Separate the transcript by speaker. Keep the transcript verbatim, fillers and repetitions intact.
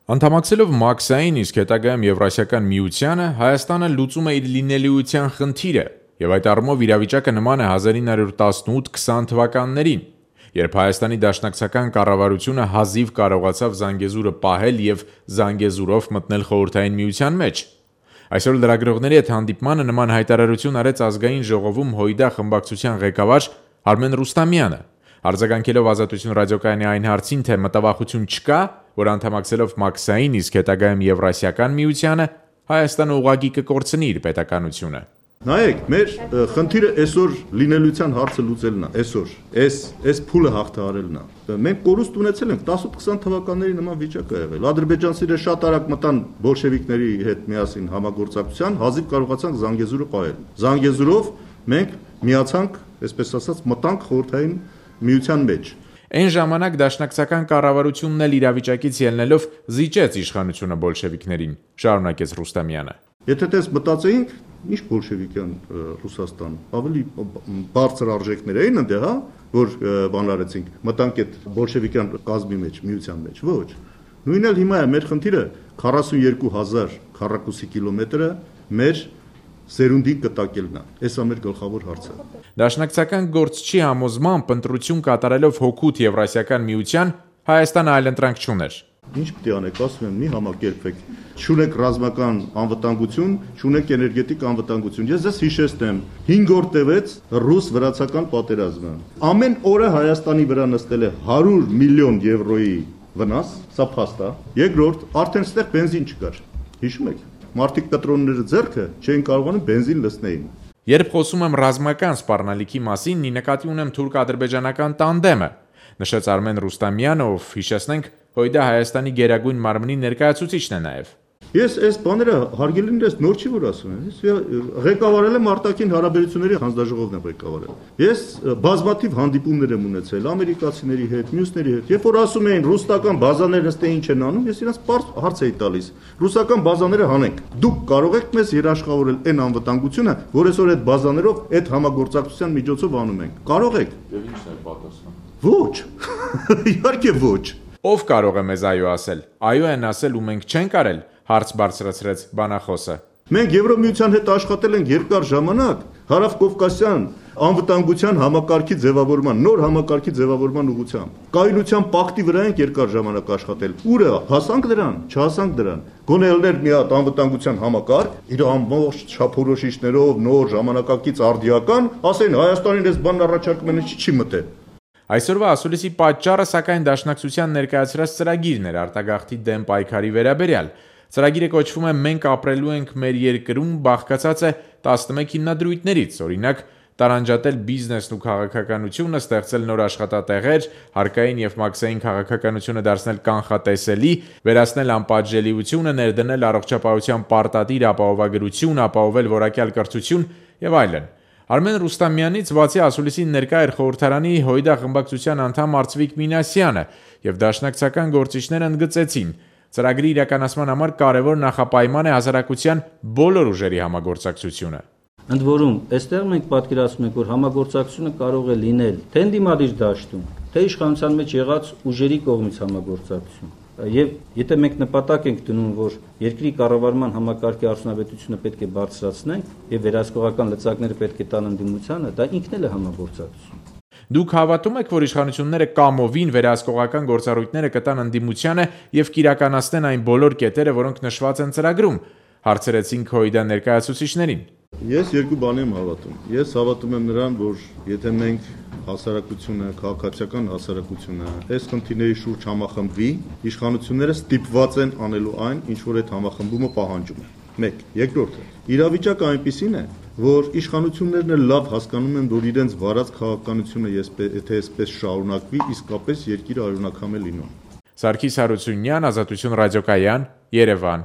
Speaker 1: Անդամակցելով Մաքսային, իսկ հետագայում Եվրասիական միությանը, Հայաստանը լուծում է իր լինելիության խնդիրը, եւ այդ առումով իրավիճակը նման է հազար ինը հարյուր տասնութ քսան թվականներին, երբ Հայաստանի դաշնակցական կառավարությունը հազիվ կարողացավ Զանգեզուրը պահել եւ Զանգեզուրով մտնել խորհրդային միության մեջ։ Այսօր լրագրողների հետ հանդիպմանը նման հայտարարություն արեց ազգային ժողովում Հույդա խմբակցության ղեկավար Արմեն Ռուստամյանը, արձագանքելով Ազատություն ռադիոկայանի այն հարցին, թե մտավախություն չկա, որ անդամակցելով Մաքսային, իսկ հետագայում Եվրասիական միությանը, Հայաստանը ուղղակի կկորցնի իր պետականությունը։
Speaker 2: Նայեք, մեր խնդիրը այսօր լինելիության հարցը լուծելն է, այսօր, այս այս փուլը հաղթահարելն է։ Մենք կորուստ ունեցել ենք տասութ քսան թվականների նման վիճակ է եղել։ Ադրբեջանցիները շատ արագ մտան բոլշևիկների հետ միասին համագործակցության, հազիվ կարողացանք Զանգեզուրը պահել։ Զանգեզուրով մենք միացանք, այսպես ասած, մտանք խորհրդային միության մեջ։
Speaker 1: Այն ժամանակ դաշնակցական կառավարությունն էլ իրավիճակից ելնելով զիջեց իշխանությունը բոլշևիկներին, շարունակեց Ռուստամյանը։
Speaker 2: Եթե դες մտածեինք, ինչ բոլշևիկյան Ռուսաստան, ավելի բարձր արժեքներ էին այնտեղ, հա, որ բան արեցինք, մտանք այդ բոլշևիկյան կազմի մեջ, միության մեջ, ոչ։ Նույնն էլ հիմա է մեր խնդիրը քառասունյոթ հազար քառակուսի կիլոմետրը մեր սերունդի կտակելն է։ Էսա մեր գլխավոր հարցը։
Speaker 1: Դաշնակցական գործչի համոզմամբ ընտրություն կատարելով հօգուտ Եվրասիական միության Հայաստանը այլընտրանք չուներ։
Speaker 2: Ինչ պետք է անեք, ասում եմ, մի համակերպեք։ Չունեք ռազմական անվտանգություն, չունեք էներգետիկ անվտանգություն։ Ես ձեզ հիշեցնեմ, հինգ օր տևեց ռուս-վրացական պատերազմը։ Ամեն օրը Հայաստանի վրա նստել է հարյուր միլիոն եվրոյի վնաս, սա փաստ է։ Երկրորդ, արդեն ստեղ բենզին չկար։ Հիշում եք։ Մարդիկ կտրոնները ձեռքը չէին կարողանում բենզին լցնեին։
Speaker 1: Երբ խոսում եմ ռազմական սպառնալիքի մասին, նկատի ունեմ թուրք-ադրբեջանական տանդեմը, նշեց Արմեն Ռուստամյանը, ով հիշեցնենք Հույդա Հայաստանի գերագույն մարմնի ներկայացուցիչն է նաև։
Speaker 2: Ես այս բաները հարգելին ես նոր չի որ ասում եմ, ես ղեկավարել եմ արտաքին հարաբերությունների հանձնաժողովն եմ ղեկավարել։ Ես բազմաթիվ հանդիպումներ եմ ունեցել ամերիկացիների հետ, մյուսների հետ։ Երբ որ ասում էին ռուսական բազաներն ըստ ինչ են անում, ես իրենց պարզ հարց էի տալիս։ Ռուսական բազաները հանենք։ Դուք կարող եք մեզ երաշխավորել այն անվտանգությունը, որ այսօր այդ բազաներով այդ համագործակցության միջոցով անում ենք։ Կարող եք։
Speaker 1: Եվ ի՞նչն է պատասխանը։
Speaker 2: Ոչ։ Իհարկե ոչ։
Speaker 1: Ով կարող է մեզ այո ասել։ Այո են ասել ու մենք չենք արել, հարց բարձրացրեց բանախոսը։
Speaker 2: Մենք Եվրոմիության հետ աշխատել ենք երկար ժամանակ Հարավկովկասյան անվտանգության համակարգի ձևավորման, նոր համակարգի ձևավորման ուղղությամբ։ Կայունության պակտի վրա ենք երկար ժամանակ աշխատել։ Ուր հասանք դրան, չհասանք դրան։ Գոնե ելներ մի հատ անվտանգության համակարգ, իր ամբողջ չափորոշիչներով, նոր ժամանակակից արդիական, ասեն Հայաստանին այս բանն առաջարկում են, չի մտել։
Speaker 1: Այսօրվա ասուլիսի պատճառը սակայն դաշնակցության ներկայացրած ծրագիրն էր արտագաղթի դեմ պայքարի վերաբերյալ։ Ծրագիրը կոչվում է «Մենք ապրելու ենք մեր երկրում», բաղկացած է տասնմեկ հիմնադրույթներից, օրինակ տարանջատել բիզնեսն ու քաղաքականությունը, ստեղծել նոր աշխատատեղեր, հարկային եւ մաքսային քաղաքականությունը դարձնել կանխատեսելի, վերացնել անպատժելիությունը, ներդնել առողջապահության պարտադիր ապահովագրություն, ապահովել որակյալ կրթություն եւ այլն։ Արմեն Ռուստամյանից բացի ասուլիսին ներկա էր խորհրդարանի Հույդա խմբակցության անդամ Արծվիկ Մինասյանը եւ դաշնակցական գործիչները ընդգծեցին. ծրագրի իրականացման համար կարևոր նախապայման է հասարակության բոլոր ուժերի համագործակցությունը։
Speaker 3: Ընդ որում, այստեղ մենք պատկերացնում ենք, որ համագործակցությունը կարող է լինել թե ընդդիմադիր դաշտում, թե իշխանության մեջ եղած ուժերի կողմից համագործակցություն։ Եվ եթե մենք նպատակ ենք դնում, որ երկրի կառավարման համակարգի արդյունավետությունը պետք է բարձրացնենք եւ վերահսկողական լծակները պետք է տան ընդդիմությանը, դա ինքն էլ է համագործակցություն։
Speaker 1: Դուք հավատում եք, որ իշխանությունները կամովին վերահսկողական գործառույթները կտան ընդդիմությանը եւ կիրականացնեն այն բոլոր կետերը, որոնք նշված են ծրագրում, հարցրեցինք Հույդա ներկայացուցիչներին։
Speaker 2: Ես երկու բանի եմ հավատում։ Ես հավատում եմ նրան, որ եթե մենք հասարակությունը, քաղաքացիական հասարակությունը այս խնդիրների շուրջ համախմբվի, իշխանությունները ստիպված են անելու այն, ինչ որ այդ համախմբումը պահանջում է։ Մեկ, երկրորդը, իրավիճակը այնպիսին է, որ իշխանություններն էլ լավ հասկանում են, որ իրենց վարած քաղաքականությունը եթե այսպես շարունակվի, իսկապես երկիրը արյունակամ է լինում։
Speaker 1: Սարգիս Հարությունյան, Ազատություն ռադիոկայան, Երևան։